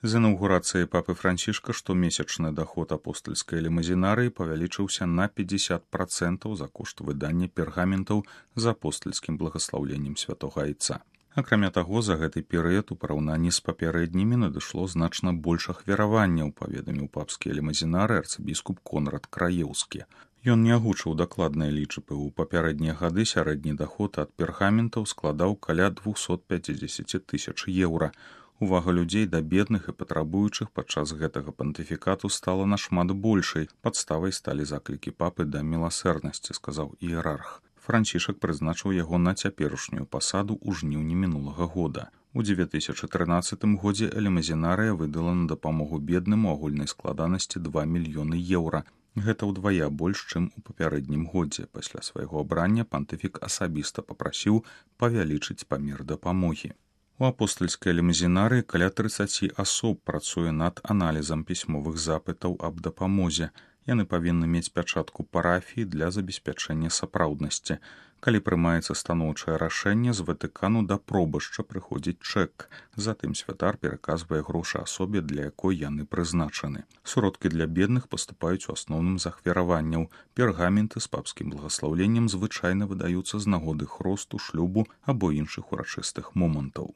З інаўгурацыяй папы Францішка штомесячны даход апостальскай лімузінарыі павялічыўся на 50% за кошт выдання пергаментаў з апостальскім благаслаўленнем святога айца. Акрамя таго, за гэты перыяд у параўнанні з папярэднімі надышло значна больш ахвяраванняў, паведаміў папскі лімузінары арцыбіскуп Конрад Краеўскі. Ён не агучыў дакладныя лічбы. У папярэднія гады сярэдні даход ад пергаментаў складаў каля 250 тысяч еўра. Увага людзей да бедных і патрабуючых падчас гэтага пантыфікату стала нашмат большай. Падставай сталі заклікі папы да міласэрнасці, сказаў іерарх. Францішак прызначыў яго на цяперашнюю пасаду ў жніўні мінулага года. У 2013 годзе лімузінарыя выдала на дапамогу бедным у агульнай складанасці 2 мільёны еўра. Гэта ўдвая больш, чым у папярэднім годзе. Пасля свайго абрання пантыфік асабіста папрасіў павялічыць памер дапамогі. У апостальскай лімузінарыі каля 30 асоб працуе над аналізам пісьмовых запытаў аб дапамозе. Яны павінны мець пячатку парафіі для забеспячэння сапраўднасці. Калі прымаецца станоўчае рашэнне, з Ватыкану да пробашча прыходзіць чэк. Затым святар пераказвае грошы асобе, для якой яны прызначаны. Сродкі для бедных паступаюць у асноўным з ахвяраванняў. Пергаменты з папскім благаслаўленнем звычайна выдаюцца з нагоды хросту, шлюбу або іншых урачыстых момантаў.